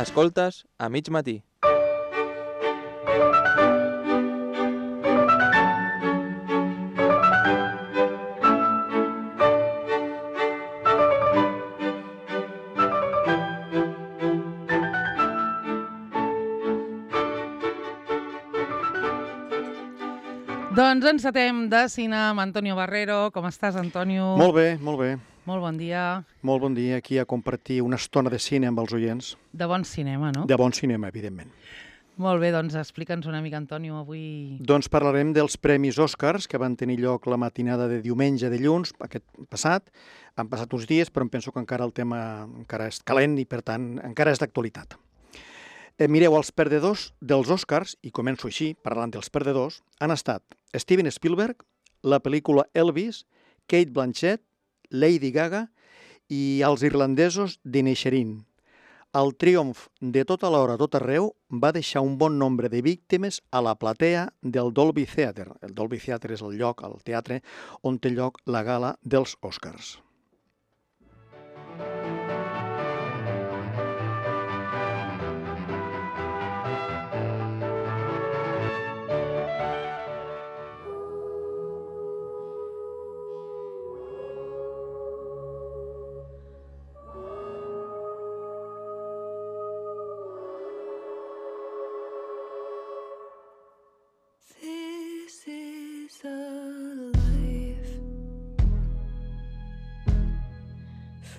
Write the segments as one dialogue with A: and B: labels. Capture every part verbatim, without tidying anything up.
A: Escoltes a mig matí.
B: Doncs encetem de cine amb Antonio Barrero. Com estàs, Antonio?
C: Molt bé, molt bé.
B: Molt bon dia.
C: Molt bon dia aquí a compartir una estona de cine amb els oients.
B: De bon cinema, no?
C: De bon cinema, evidentment.
B: Molt bé, doncs explica'ns una mica, Antonio, avui...
C: Doncs parlarem dels Premis Oscars que van tenir lloc la matinada de diumenge, dilluns, aquest passat. Han passat uns dies, però em penso que encara el tema encara és calent i, per tant, encara és d'actualitat. Eh, mireu, els perdedors dels Oscars, i començo així, parlant dels perdedors, han estat Steven Spielberg, la pel·lícula Elvis, Cate Blanchett, Lady Gaga i els irlandesos d'Inisherin. El triomf de tota l'hora, tot arreu, va deixar un bon nombre de víctimes a la platea del Dolby Theatre. El Dolby Theatre és el lloc, el teatre, on té lloc la gala dels Oscars.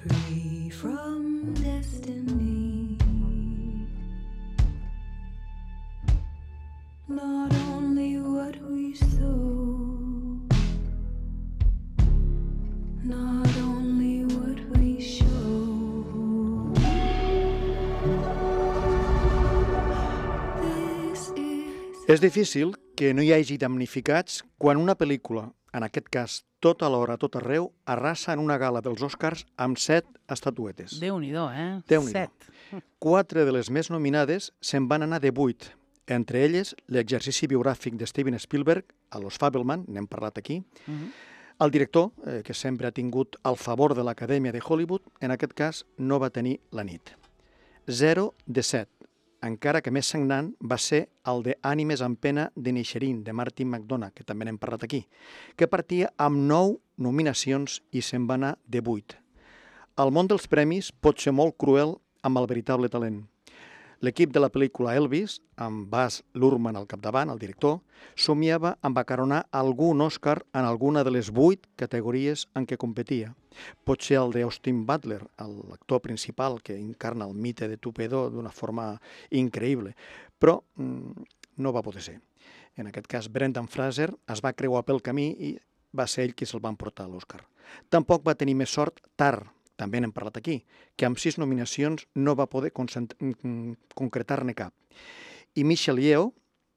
D: Free from destiny, not only what we sow, not only what we show. This is...
C: És difícil que no hi hagi damnificats quan una pel·lícula, en aquest cas tot alhora, tot arreu, arrasa en una gala dels Oscars amb set estatuetes.
B: Déu-n'hi-do, eh?
C: Déu-n'hi-do.
B: Set.
C: Quatre de les més nominades se'n van anar de vuit, entre elles l'exercici biogràfic de Steven Spielberg, a Los Fabelman, n'hem parlat aquí,
B: Uh -huh.
C: el director, eh, que sempre ha tingut el favor de l'Acadèmia de Hollywood, en aquest cas no va tenir la nit. Zero de set, encara que més sagnant va ser el de Ànimes en pena d'Inisherin, de Martin McDonagh, que també n'hem parlat aquí, que partia amb nou nominacions i se'n va anar de vuit. El món dels premis pot ser molt cruel amb el veritable talent. L'equip de la pel·lícula Elvis, amb Baz Luhrmann al capdavant, el director, somiava amb acaronar algun Oscar en alguna de les vuit categories en què competia. Pot ser el d'Austin Butler, l'actor principal que encarna el mite de Tupedo d'una forma increïble, però mm, no va poder ser. En aquest cas, Brendan Fraser es va creuar pel camí i va ser ell qui se'l va emportar a l'Oscar. Tampoc va tenir més sort Tar, també n'hem parlat aquí, que amb sis nominacions no va poder concretar-ne cap. I Michelle Yeoh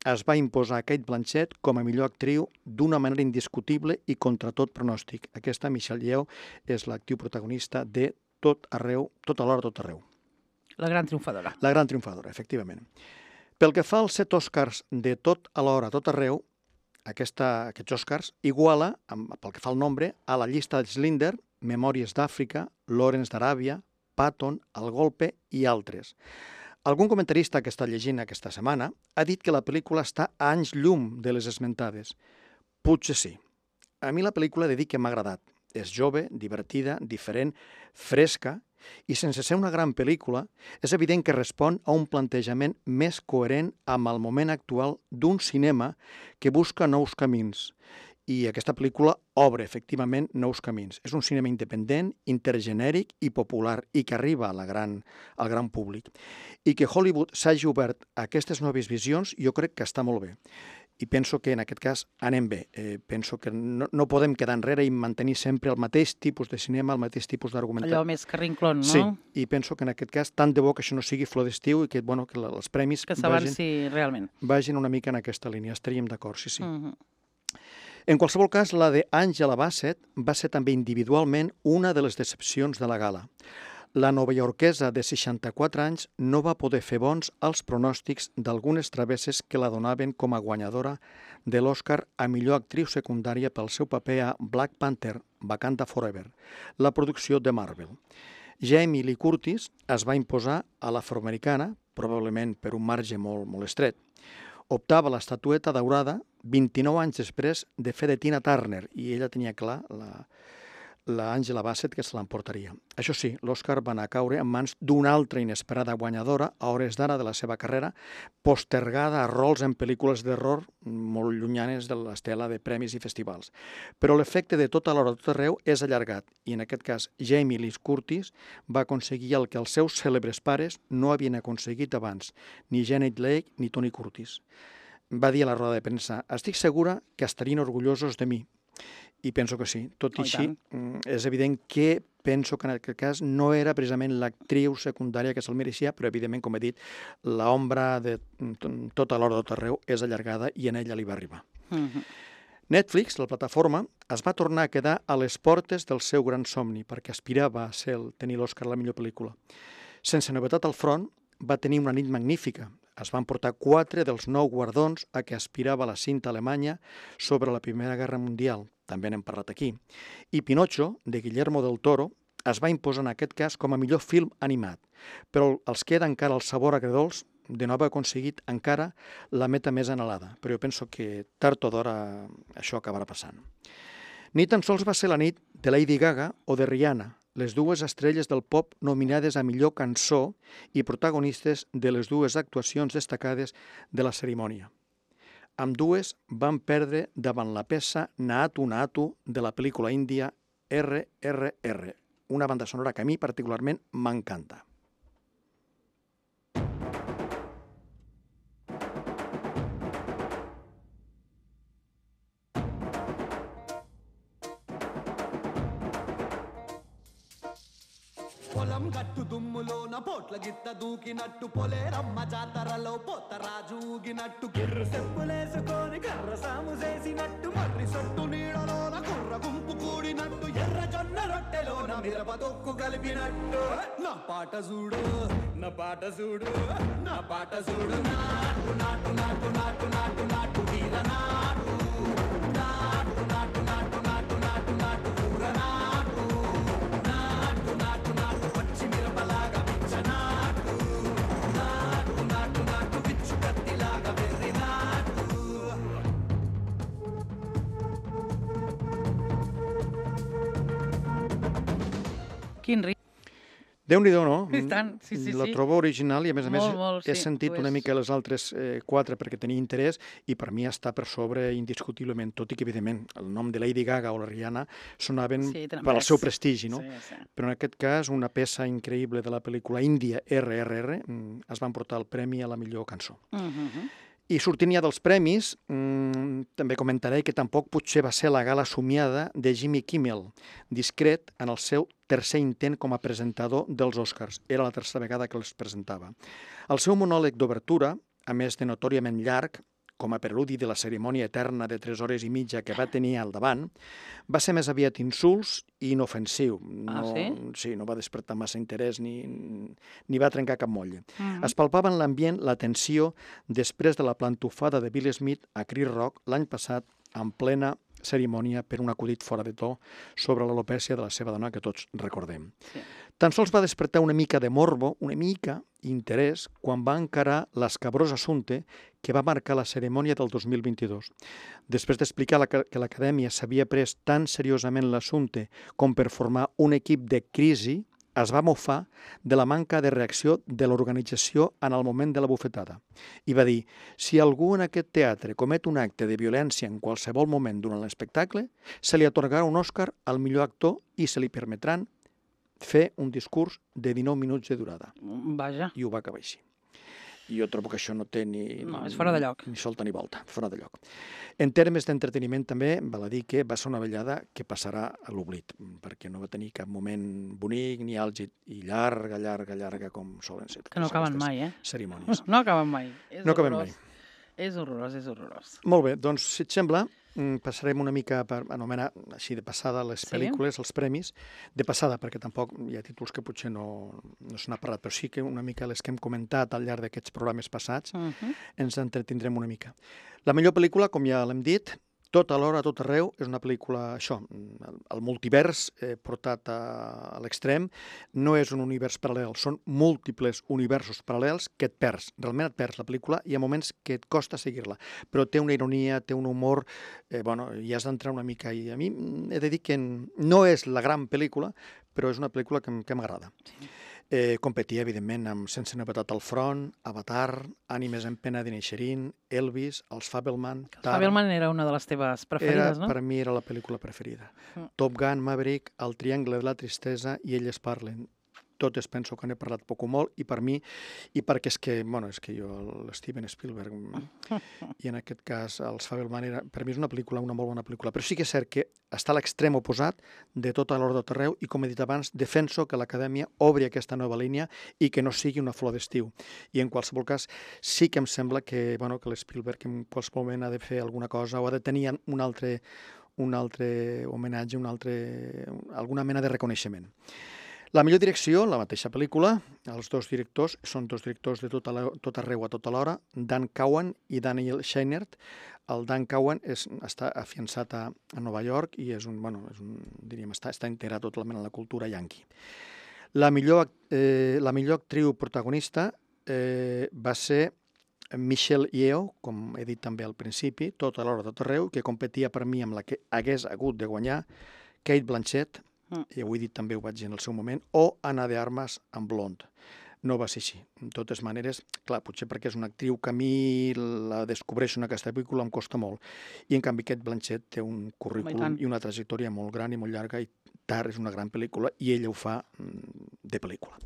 C: es va imposar a Cate Blanchett com a millor actriu d'una manera indiscutible i contra tot pronòstic. Aquesta Michelle Yeoh és l'actriu protagonista de Tot arreu, tot alhora, tot arreu.
B: La gran triomfadora.
C: La gran triomfadora, efectivament. Pel que fa als set Oscars de Tot alhora, tot arreu, aquesta, aquests Oscars iguala, amb, pel que fa al nombre, a la llista de Schindler, Memòries d'Àfrica, Lawrence d'Aràbia, Patton, El Golpe i altres. Algun comentarista que està llegint aquesta setmana ha dit que la pel·lícula està a anys llum de les esmentades. Potser sí. A mi la pel·lícula he de dir que m'ha agradat. És jove, divertida, diferent, fresca, i sense ser una gran pel·lícula, és evident que respon a un plantejament més coherent amb el moment actual d'un cinema que busca nous camins. I aquesta pel·lícula obre, efectivament, nous camins. És un cinema independent, intergenèric i popular, i que arriba a la gran, al gran públic. I que Hollywood s'hagi obert a aquestes noves visions, jo crec que està molt bé. I penso que en aquest cas anem bé. Eh, penso que no, no podem quedar enrere i mantenir sempre el mateix tipus de cinema, el mateix tipus d'argumentat.
B: Allò més carrinclon, no?
C: Sí, i penso que en aquest cas tant de bo que això no sigui flor d'estiu i que, bueno, que els premis
B: que s'avanci realment.
C: Vagin una mica en aquesta línia. Estaríem d'acord, sí, sí.
B: Uh -huh.
C: En qualsevol cas, la de Angela Bassett va ser també individualment una de les decepcions de la gala. La novaiorquesa de seixanta-quatre anys no va poder fer bons els pronòstics d'algunes travesses que la donaven com a guanyadora de l'Oscar a millor actriu secundària pel seu paper a Black Panther, Wakanda Forever, la producció de Marvel. Jamie Lee Curtis es va imposar a l'afroamericana, probablement per un marge molt, molt estret. Optava a l'estatueta daurada vint-i-nou anys després de fer de Tina Turner, i ella tenia clar, la, la Angela Bassett, que se l'emportaria. Això sí, l'Oscar va anar a caure en mans d'una altra inesperada guanyadora a hores d'ara de la seva carrera, postergada a rols en pel·lícules d'error molt llunyanes de l'estela de premis i festivals. Però l'efecte de tota l'hora tot arreu és allargat, i en aquest cas Jamie Lee Curtis va aconseguir el que els seus cèlebres pares no havien aconseguit abans, ni Janet Leigh ni Tony Curtis. Va dir a la roda de premsa: estic segura que estarien orgullosos de mi. I penso que sí. Tot i
B: Oh, i
C: així,
B: tant.
C: és evident que penso que en aquest cas no era precisament l'actriu secundària que se'l mereixia, però evidentment, com he dit, l'ombra de tota l'hora tot arreu és allargada i en ella li va arribar.
B: Mhm.
C: Netflix, la plataforma, es va tornar a quedar a les portes del seu gran somni, perquè aspirava a ser el, tenir l'Oscar a la millor pel·lícula. Sense novetat al front, va tenir una nit magnífica. Es van portar quatre dels nou guardons a què aspirava la cinta alemanya sobre la Primera Guerra Mundial. També n'hem parlat aquí. I Pinocho, de Guillermo del Toro, es va imposar en aquest cas com a millor film animat, però els queda encara el sabor agredolç de no haver aconseguit encara la meta més anhelada. Però jo penso que tard o d'hora això acabarà passant. Ni tan sols va ser la nit de Lady Gaga o de Rihanna, les dues estrelles del pop nominades a millor cançó i protagonistes de les dues actuacions destacades de la cerimònia. Ambdues van perdre davant la peça Naatu Naatu de la pel·lícula índia erre erre erre, una banda sonora que a mi particularment m'encanta.
A: పొలం గట్టు దుమ్ములోన పోట్ల గిత్త దూకినట్టు పొలేరమ్మ జాతరలో పోతరాజు ఊగినట్టు గిర్రు సెప్పులేసుకొని కర్ర సాము చేసినట్టు మర్రి సొట్టు నీడలోన కుర్ర గుంపు కూడినట్టు ఎర్ర జొన్న రొట్టెలోన మిరప తొక్కు కలిపినట్టు నా పాట చూడు నా పాట చూడు నా పాట చూడు నాటు నాటు నాటు నాటు నాటు నాటు వీర నాటు నాటు నాటు నాటు నాటు నాటు నాటు ఊర నాటు నాటు నాటు నాటు పచ్చి మిరపలాగా పిచ్చ నాటు నాటు నాటు నాటు పిచ్చు కత్తిలాగా వెర్రి నాటు
B: Quin ritme.
C: Déu-n'hi-do, no?
B: I tant, sí, sí,
C: Lo
B: sí.
C: trobo original i, a més a més,
B: Molt, molt,
C: he
B: sí,
C: sentit
B: ho
C: una
B: és.
C: mica les altres eh, quatre perquè tenia interès i per mi està per sobre indiscutiblement, tot i que, evidentment, el nom de Lady Gaga o la Rihanna sonaven
B: Sí, tenen
C: per al
B: més.
C: seu prestigi, no?
B: Sí, sí.
C: Però en aquest cas, una peça increïble de la pel·lícula índia erre erre erre mm, es van portar el premi a la millor cançó.
B: Mhm.
C: I sortint ja dels premis, mmm, també comentaré que tampoc potser va ser la gala somiada de Jimmy Kimmel, discret en el seu tercer intent com a presentador dels Oscars. Era la tercera vegada que els presentava. El seu monòleg d'obertura, a més de notòriament llarg, com a preludi de la cerimònia eterna de tres hores i mitja que va tenir al davant, va ser més aviat insults i inofensiu.
B: Ah,
C: no,
B: sí?
C: Sí, no va despertar massa interès ni, ni va trencar cap motlle.
B: Mhm.
C: Es palpava en l'ambient la tensió després de la plantofada de Will Smith a Chris Rock l'any passat en plena cerimònia per un acudit fora de to sobre l'alopècia de la seva dona que tots recordem.
B: Sí.
C: Tan sols va despertar una mica de morbo, una mica interès, quan va encarar l'escabrós assumpte que va marcar la cerimònia del dos mil vint-i-dos. Després d'explicar la, que l'Acadèmia s'havia pres tan seriosament l'assumpte com per formar un equip de crisi, es va mofar de la manca de reacció de l'organització en el moment de la bufetada. I va dir, si algú en aquest teatre comet un acte de violència en qualsevol moment durant l'espectacle, se li atorgarà un Òscar al millor actor i se li permetran fer un discurs de dinou minuts de durada.
B: Vaja.
C: I ho va acabar així. I jo trobo que això no té ni...
B: No, és fora de lloc.
C: Ni solta ni volta, fora de lloc. En termes d'entreteniment també, val a dir que va ser una vellada que passarà a l'oblit, perquè no va tenir cap moment bonic ni àlgid, i llarga, llarga, llarga, com solen ser.
B: Que no acaben mai, eh?
C: Cerimònies.
B: No acaben mai. És
C: No acaben
B: horrorós.
C: mai.
B: És horrorós, és horrorós.
C: Molt bé, doncs, si et sembla, passarem una mica per anomenar així de passada les
B: Sí.
C: pel·lícules, els premis, de passada, perquè tampoc hi ha títols que potser no, no se n'ha parlat, però sí que una mica les que hem comentat al llarg d'aquests programes passats,
B: Mhm.
C: ens entretindrem una mica. La millor pel·lícula, com ja l'hem dit, Tot alhora, a tot arreu, és una pel·lícula, això, el, el multivers eh, portat a, a l'extrem, no és un univers paral·lel, són múltiples universos paral·lels que et perds, realment et perds la pel·lícula, hi ha moments que et costa seguir-la, però té una ironia, té un humor, eh, bueno, hi has d'entrar una mica, i a mi he de dir que no és la gran pel·lícula, però és una pel·lícula que, que m'agrada. Sí. Eh, competia, evidentment, amb Sense novetat al front, Avatar, Ànimes en pena d'Inisherin, Elvis, Els Fabelman...
B: Els Fabelman era una de les teves preferides,
C: era,
B: no?
C: Per mi era la pel·lícula preferida.
B: Mm.
C: Top Gun, Maverick, El triangle de la tristesa i Elles parlen. Totes penso que n'he parlat poc o molt, i per mi, i perquè és que, bueno, és que jo, l'Steven Spielberg, i en aquest cas els Fabelman, era, per mi és una pel·lícula, una molt bona pel·lícula, però sí que és cert que està a l'extrem oposat de tota l'ordre de terreu, i com he dit abans, defenso que l'Acadèmia obri aquesta nova línia i que no sigui una flor d'estiu. I en qualsevol cas, sí que em sembla que, bueno, que l'Spielberg en qualsevol moment ha de fer alguna cosa o ha de tenir un altre, un altre homenatge, un altre, alguna mena de reconeixement. La millor direcció, la mateixa pel·lícula, els dos directors són dos directors de tot, la, tot arreu a tota l'hora, Dan Cowan i Daniel Scheinert. El Dan Cowan és, està afiançat a, a Nova York i és un, bueno, és un, diríem, està, està integrat totalment a la cultura yanqui. La millor, eh, la millor actriu protagonista eh, va ser Michelle Yeoh, com he dit també al principi, tot a l'hora de tot arreu, que competia per mi amb la que hagués hagut de guanyar, Cate Blanchett, i ho he dit també, ho vaig dir en el seu moment, o Ana de Armas amb Blonde. No va ser així. De totes maneres, clar, potser perquè és una actriu que a mi la descobreixo en aquesta pel·lícula em costa molt. I en canvi Cate Blanchett té un currículum i una trajectòria molt gran i molt llarga, i Tar és una gran pel·lícula i ella ho fa de pel·lícula.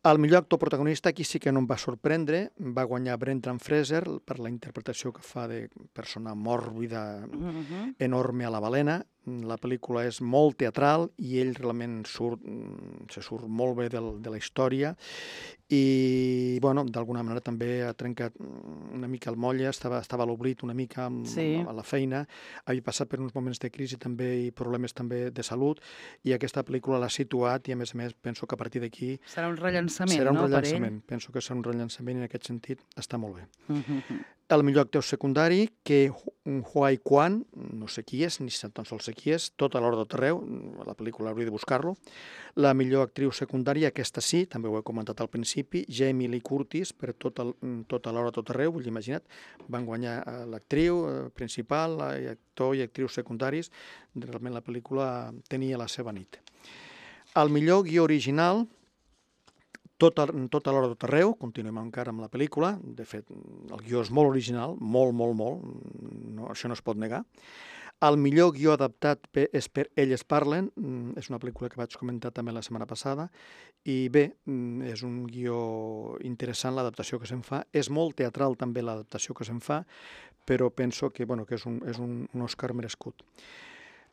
C: El millor actor protagonista aquí sí que no em va sorprendre, va guanyar Brendan Fraser per la interpretació que fa de persona mòrbida, uh-huh. enorme a la balena. La pel·lícula és molt teatral i ell realment surt, se surt molt bé del, de la història i, bueno, d'alguna manera també ha trencat una mica el molle, estava, estava a l'oblit una mica amb, sí. a la feina, havia passat per uns moments de crisi també i problemes també de salut, i aquesta pel·lícula l'ha situat i, a més a més, penso que a partir d'aquí...
B: Serà un rellançament,
C: serà un
B: no,
C: rellançament. Per ell? Penso que serà un rellançament i en aquest sentit està molt bé. Uh-huh. El millor actor secundari, que Huai Quan, no sé qui és, ni tan sols sé qui és, tot a l'hora de terreu, la pel·lícula hauria de buscar-lo. La millor actriu secundària, aquesta sí, també ho he comentat al principi, Jamie Lee Curtis, per tot, el, tot a l'hora de tot arreu, vull dir, imagina't, van guanyar l'actriu principal, actor i actrius secundaris, realment la pel·lícula tenia la seva nit. El millor guió original, Tot a, tot a l'hora de tot arreu, continuem encara amb la pel·lícula, de fet, el guió és molt original, molt, molt, molt, no, això no es pot negar. El millor guió adaptat és per Elles parlen, és una pel·lícula que vaig comentar també la setmana passada, i bé, és un guió interessant l'adaptació que se'n fa, és molt teatral també l'adaptació que se'n fa, però penso que, bueno, que és, un, és un, un Oscar merescut.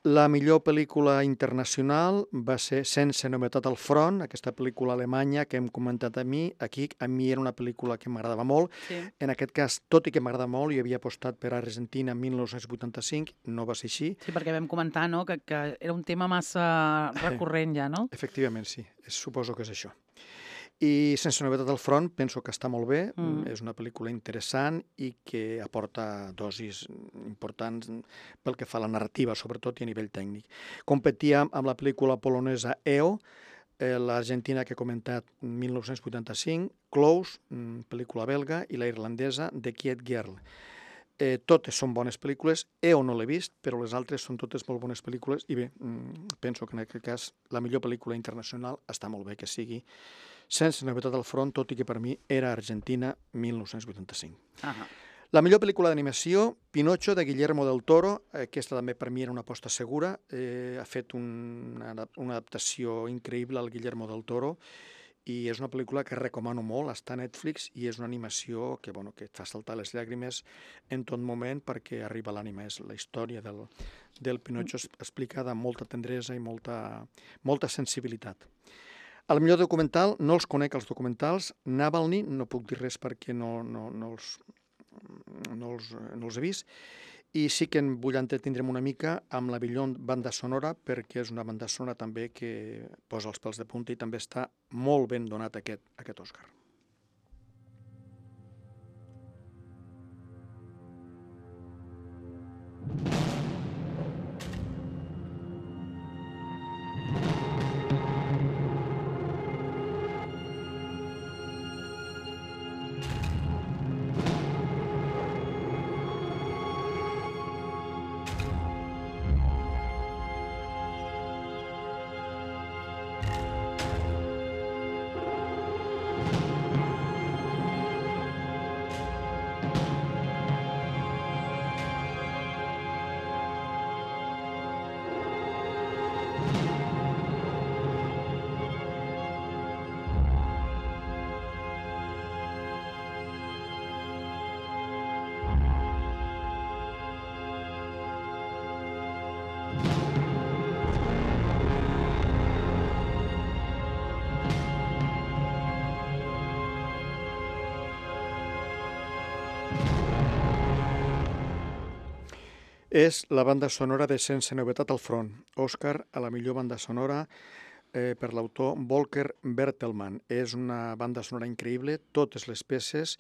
C: La millor pel·lícula internacional va ser Sense novetat al front, aquesta pel·lícula alemanya que hem comentat a mi. Aquí, a mi era una pel·lícula que m'agradava molt. Sí. En aquest cas, tot i que m'agrada molt, jo havia apostat per Argentina en mil nou-cents vuitanta-cinc, no va ser així.
B: Sí, perquè vam comentar, no?, que, que era un tema massa recurrent ja, no?
C: Efectivament, sí. Suposo que és això. I Sense novetat al front penso que està molt bé, mm. és una pel·lícula interessant i que aporta dosis importants pel que fa a la narrativa, sobretot i a nivell tècnic. Competia amb la pel·lícula polonesa E O, eh, l'Argentina que he comentat mil nou-cents vuitanta-cinc, Close, pel·lícula belga, i la irlandesa The Quiet Girl. Eh, totes són bones pel·lícules, E O no l'he vist, però les altres són totes molt bones pel·lícules i bé, penso que en aquest cas la millor pel·lícula internacional està molt bé que sigui Sense novetat al front, tot i que per mi era Argentina mil nou-cents vuitanta-cinc. Uh-huh. La millor pel·lícula d'animació, Pinocho, de Guillermo del Toro, aquesta també per mi era una aposta segura, eh, ha fet una, una adaptació increïble al Guillermo del Toro, i és una pel·lícula que recomano molt, està a Netflix, i és una animació que, bueno, que et fa saltar les llàgrimes en tot moment perquè arriba l'ànima. És la història del, del Pinocho explicada amb molta tendresa i molta, molta sensibilitat. El millor documental, no els conec els documentals, Navalny, no puc dir res perquè no, no, no, els, no, els, no els he vist, i sí que en vull entretindre'm una mica amb la millor banda sonora, perquè és una banda sonora també que posa els pèls de punta i també està molt ben donat aquest, aquest Òscar. És la banda sonora de Sense novetat al front. Òscar a la millor banda sonora eh, per l'autor Volker Bertelmann. És una banda sonora increïble, totes les peces,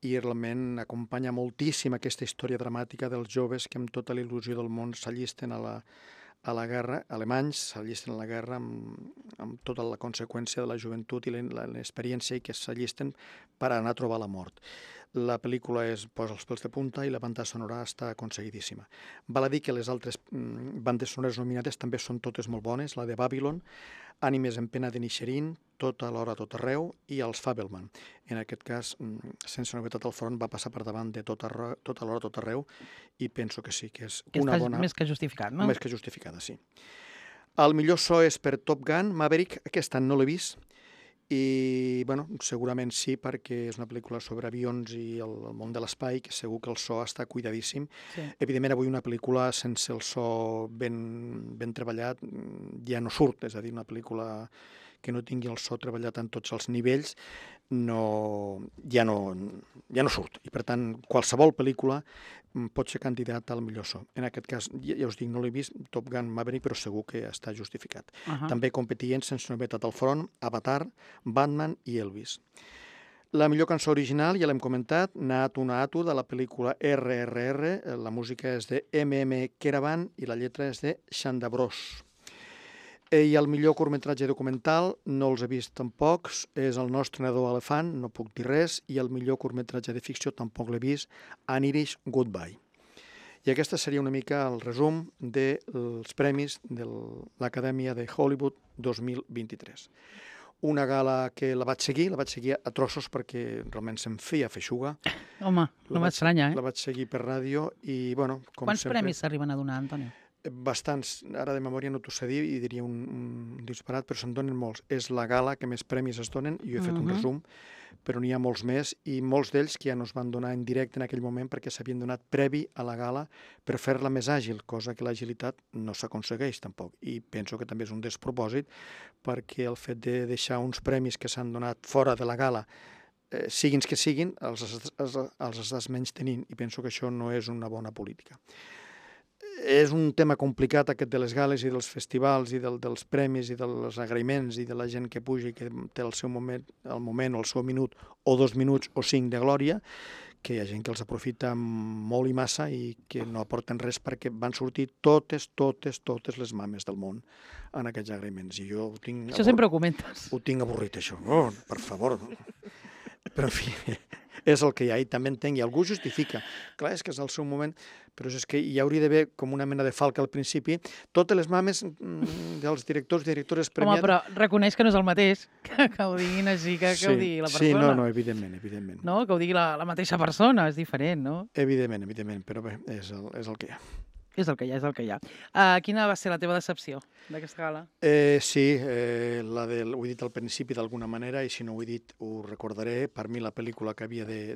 C: i realment acompanya moltíssim aquesta història dramàtica dels joves que amb tota la il·lusió del món s'allisten a la, a la guerra, alemanys s'allisten a la guerra amb, amb tota la conseqüència de la joventut i l'experiència i que s'allisten per anar a trobar la mort. La pel·lícula es posa els pèls de punta i la banda sonora està aconseguidíssima. Val a dir que les altres mm, bandes sonores nominades també són totes molt bones, la de Babylon, Ànimes en pena de Nisherin, Tot a l'hora, tot arreu, i els Fabelman. En aquest cas, mm, Sense novetat al front, va passar per davant de Tot a, tot a l'hora, tot arreu, i penso que sí, que és
B: Que
C: una
B: està
C: bona...
B: més que justificat, no?
C: Més que justificada, sí. El millor so és per Top Gun, Maverick, aquest any no l'he vist, i bueno, segurament sí, perquè és una pel·lícula sobre avions i el, el món de l'espai, que segur que el so està cuidadíssim.
B: Sí.
C: Evidentment, avui una pel·lícula sense el so ben, ben treballat ja no surt, és a dir, una pel·lícula que no tingui el so treballat en tots els nivells no, ja, no, ja no surt. I per tant, qualsevol pel·lícula pot ser candidat al millor so. En aquest cas, ja, ja us dic, no l'he vist, Top Gun Maverick, però segur que està justificat.
B: Uh -huh.
C: També competien Sense novetat al front, Avatar, Batman i Elvis. La millor cançó original, ja l'hem comentat, Naatu Naatu, de la pel·lícula erre erre erre, la música és de eme eme Keravant i la lletra és de Xanda Bros. I el millor curtmetratge documental, no els he vist tampoc, és El nostre nadó elefant, no puc dir res, i el millor curtmetratge de ficció tampoc l'he vist, An Irish Goodbye. I aquesta seria una mica el resum dels premis de l'Acadèmia de Hollywood dos mil vint-i-tres. Una gala que la vaig seguir, la vaig seguir a trossos perquè realment se'm feia feixuga.
B: Home, no m'estranya, eh?
C: La vaig seguir per ràdio i, bueno, com
B: Quants
C: sempre...
B: premis s'arriben a donar, Antonio?
C: Bastants, ara de memòria no t'ho sé dir i diria un, un disparat, però se'n donen molts. És la gala que més premis es donen, i jo he fet
B: Uh-huh.
C: un resum, però n'hi ha molts més, i molts d'ells que ja no es van donar en directe en aquell moment perquè s'havien donat previ a la gala per fer-la més àgil, cosa que l'agilitat no s'aconsegueix tampoc. I penso que també és un despropòsit perquè el fet de deixar uns premis que s'han donat fora de la gala, eh, siguin que siguin, els, els, els estàs menys tenint, i penso que això no és una bona política. És un tema complicat aquest de les gales i dels festivals i del, dels premis i dels agraïments i de la gent que puja i que té el seu moment, el moment o el seu minut o dos minuts o cinc de glòria, que hi ha gent que els aprofita molt i massa i que no aporten res perquè van sortir totes, totes, totes les mames del món en aquests agraïments. I jo ho tinc...
B: Això sempre ho comentes.
C: Ho tinc avorrit, això. Oh, per favor. Però, en fi, és el que hi ha, i també entenc, i algú justifica. Clar, és que és el seu moment, però és que hi hauria d'haver com una mena de falca al principi. Totes les mames mm, dels directors i directores premiats...
B: Home, però reconeix que no és el mateix que, que ho diguin així, que, que
C: sí,
B: ho digui la persona.
C: Sí, no, no, evidentment, evidentment.
B: No, que ho digui la, la mateixa persona, és diferent, no?
C: Evidentment, evidentment, però bé, és el, és el que hi ha.
B: És el que hi ha, és el que hi ha. Uh, quina va ser la teva decepció d'aquesta gala?
C: Eh, sí, eh, la del, ho he dit al principi d'alguna manera, i si no ho he dit ho recordaré. Per mi la pel·lícula que havia de,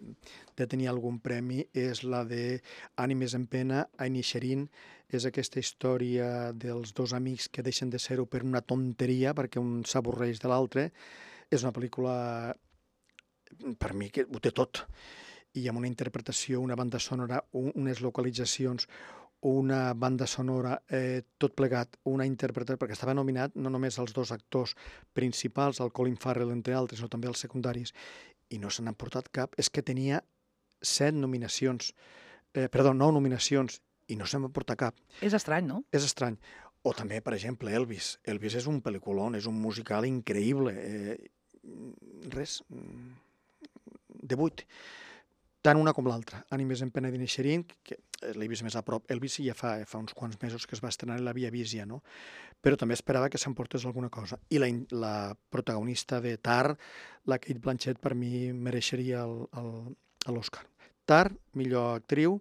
C: de tenir algun premi és la de Ànimes en pena, Inisherin. És aquesta història dels dos amics que deixen de ser-ho per una tonteria, perquè un s'avorreix de l'altre. És una pel·lícula, per mi, que ho té tot. I amb una interpretació, una banda sonora, un, unes localitzacions, una banda sonora, eh, tot plegat, una interpretació, perquè estava nominat no només els dos actors principals, el Colin Farrell, entre altres, sinó també els secundaris, i no se n'han portat cap. És que tenia set nominacions, eh, perdó, nou nominacions, i no se n'ha portat cap.
B: És estrany, no?
C: És estrany. O també, per exemple, Elvis. Elvis és un pel·lículon, és un musical increïble. Eh, res, de vuit. Tant una com l'altra. Ànimes en pena d'Inisherin, que l'he vist més a prop. Elvis ja fa, fa uns quants mesos que es va estrenar i l'havia vist ja, no? Però també esperava que s'emportés alguna cosa. I la, la protagonista de Tar, la Kate Blanchett, per mi mereixeria l'Oscar. Tar, millor actriu.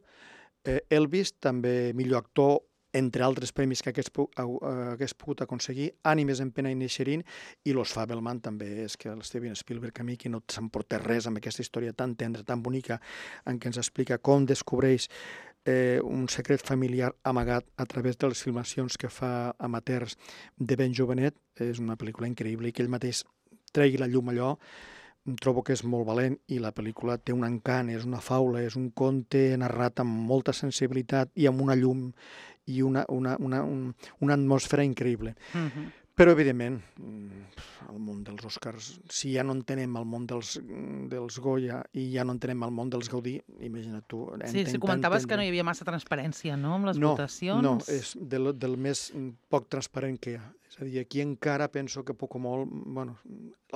C: Eh, Elvis, també millor actor, entre altres premis que hagués, uh, hagués pogut aconseguir, Ànimes en pena d'Inisherin, i Los Fabelman també, és que el Steven Spielberg a mi que no s'emporta res amb aquesta història tan tendra, tan bonica, en què ens explica com descobreix eh, un secret familiar amagat a través de les filmacions que fa amateurs de ben jovenet. És una pel·lícula increïble i que ell mateix tregui la llum allò, trobo que és molt valent i la pel·lícula té un encant, és una faula, és un conte narrat amb molta sensibilitat i amb una llum i una, una, una, un, una atmosfera increïble.
B: Mhm.
C: Però, evidentment, el món dels Oscars, si ja no entenem el món dels, dels Goya i ja no entenem el món dels Gaudí, imagina't tu...
B: Sí, sí, comentaves que no hi havia massa transparència, no?, amb les
C: no,
B: votacions.
C: No, és del, del més poc transparent que hi ha. És a dir, aquí encara penso que poc o molt, bueno,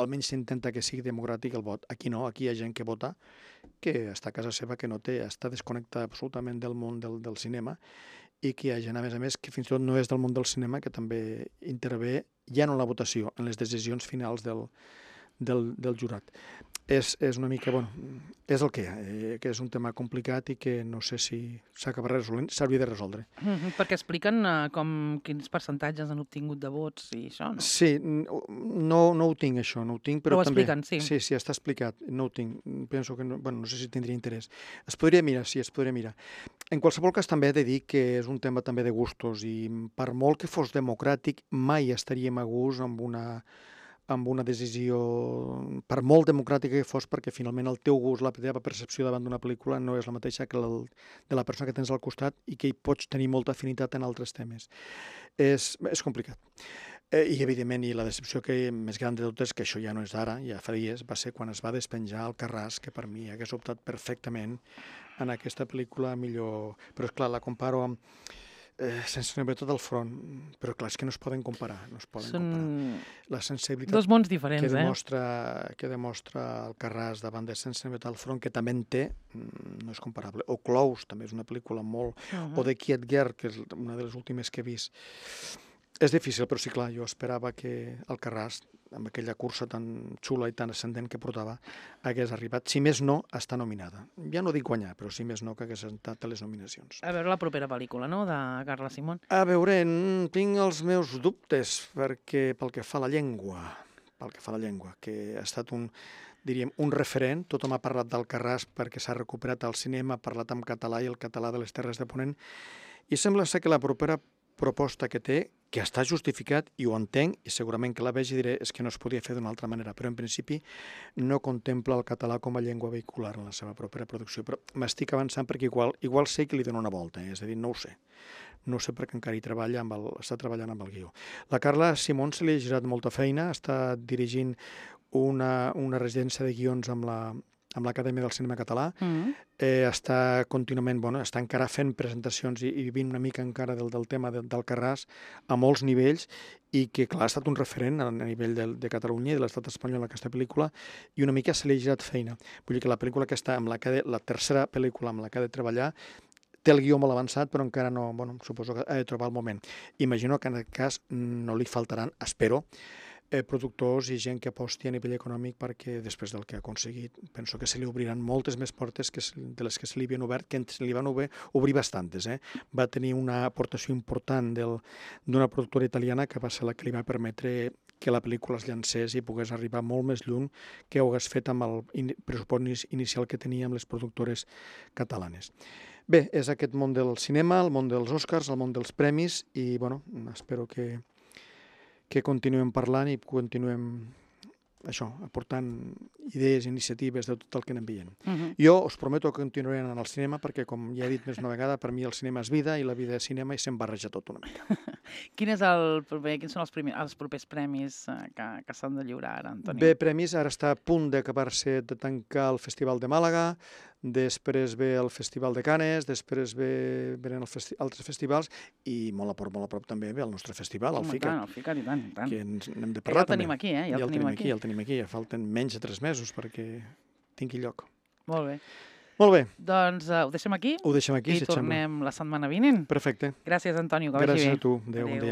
C: almenys s'intenta que sigui democràtic el vot. Aquí no, aquí hi ha gent que vota, que està a casa seva, que no té, està desconnectada absolutament del món del, del cinema, i que hi ha gent, a més a més, que fins i tot no és del món del cinema, que també intervé ja no en la votació, en les decisions finals del, del, del jurat. És, és una mica, bueno, és el que hi ha, eh, que és un tema complicat i que no sé si s'acabarà resolent, s'hauria de resoldre.
B: Mhm, perquè expliquen uh, com quins percentatges han obtingut de vots i això, no?
C: Sí, no, no ho tinc, això, no ho tinc, però,
B: però ho
C: també...
B: expliquen, sí.
C: Sí, sí, està explicat, no ho tinc. Penso que, no, bueno, no sé si tindria interès. Es podria mirar, sí, es podria mirar. En qualsevol cas, també he de dir que és un tema també de gustos i per molt que fos democràtic, mai estaríem a gust amb una amb una decisió, per molt democràtica que fos, perquè finalment el teu gust, la teva percepció davant d'una pel·lícula no és la mateixa que la de la persona que tens al costat i que hi pots tenir molta afinitat en altres temes. És, és complicat. Eh, I, evidentment, i la decepció que més gran de tot és que això ja no és d'ara, ja fa dies, va ser quan es va despenjar Alcarràs, que per mi hagués optat perfectament en aquesta pel·lícula millor... Però, esclar, la comparo amb... Eh, sense nevar tot el front, però clar, és que no es poden comparar, no es poden
B: Són
C: comparar. La sensibilitat
B: dos mons diferents,
C: que
B: eh?
C: demostra, que demostra Alcarràs davant de Sense nevar el front, que també en té, no és comparable. O Close, també és una pel·lícula molt... Uh -huh. O The Quiet Girl, que és una de les últimes que he vist. És difícil, però sí, clar, jo esperava que Alcarràs, amb aquella cursa tan xula i tan ascendent que portava, hagués arribat, si més no, a estar nominada. Ja no dic guanyar, però si més no, que hagués estat a les nominacions.
B: A veure la propera pel·lícula, no?, de Carla Simón.
C: A veure, tinc els meus dubtes perquè pel que fa a la llengua, pel que fa a la llengua, que ha estat un, diríem, un referent, tothom ha parlat d'Alcarràs perquè s'ha recuperat al cinema, ha parlat en català i el català de les Terres de Ponent, i sembla ser que la propera proposta que té, que està justificat, i ho entenc, i segurament que la vegi i diré és que no es podia fer d'una altra manera, però en principi no contempla el català com a llengua vehicular en la seva propera producció. Però m'estic avançant perquè igual, igual sé que li dono una volta, eh? És a dir, no ho sé. No ho sé perquè encara hi treballa amb el, està treballant amb el guió. La Carla Simón se li ha girat molta feina, està dirigint una, una residència de guions amb la amb l'Acadèmia del Cinema Català, mm. eh, està contínuament, bueno, està encara fent presentacions i, i vivint una mica encara del, del tema de, d'Alcarràs a molts nivells i que, clar, ha estat un referent a nivell de, de Catalunya i de l'estat espanyol aquesta pel·lícula i una mica se li ha girat feina. Vull dir que la pel·lícula que està, amb la, que de, la tercera pel·lícula amb la que ha de treballar, té el guió molt avançat, però encara no, bueno, suposo que ha de trobar el moment. Imagino que en aquest cas no li faltaran, espero, Eh, productors i gent que aposti a nivell econòmic perquè després del que ha aconseguit penso que se li obriran moltes més portes que de les que se li havien obert, que se li van obrir, obrir bastantes. Eh? Va tenir una aportació important del, d'una productora italiana que va ser la que li va permetre que la pel·lícula es llancés i pogués arribar molt més lluny que ho hagués fet amb el in, pressupost inicial que tenia amb les productores catalanes. Bé, és aquest món del cinema, el món dels Oscars, el món dels premis i bueno, espero que que continuem parlant i continuem això, aportant idees, iniciatives de tot el que anem veient. Uh-huh. Jo us prometo que continuaré anant al cinema perquè, com ja he dit més una vegada, per mi el cinema és vida i la vida és cinema i se'm barreja tot una mica.
B: Quin és el proper, quins són els, primer, els propers premis que, que s'han de lliurar ara, Antoni?
C: Bé, premis, ara està a punt d'acabar-se de tancar el Festival de Màlaga, després ve el Festival de Canes, després ve, venen els festi altres festivals i molt a prop, molt a prop també ve el nostre festival, el
B: Home,
C: FICAT.
B: Tant, el FICAT, i tant, i tant.
C: Que ens n'hem de parlar
B: ja el tenim
C: també.
B: aquí, eh? Ja,
C: ja
B: el tenim aquí.
C: aquí. Ja el tenim aquí, ja falten menys de tres mesos perquè tingui lloc.
B: Molt bé.
C: Molt bé.
B: Doncs uh, ho deixem aquí?
C: Ho deixem aquí,
B: i
C: si et sembla.
B: tornem la setmana vinent.
C: Perfecte.
B: Gràcies, Antonio, que vagi bé.
C: Gràcies a tu. Adéu, bon dia.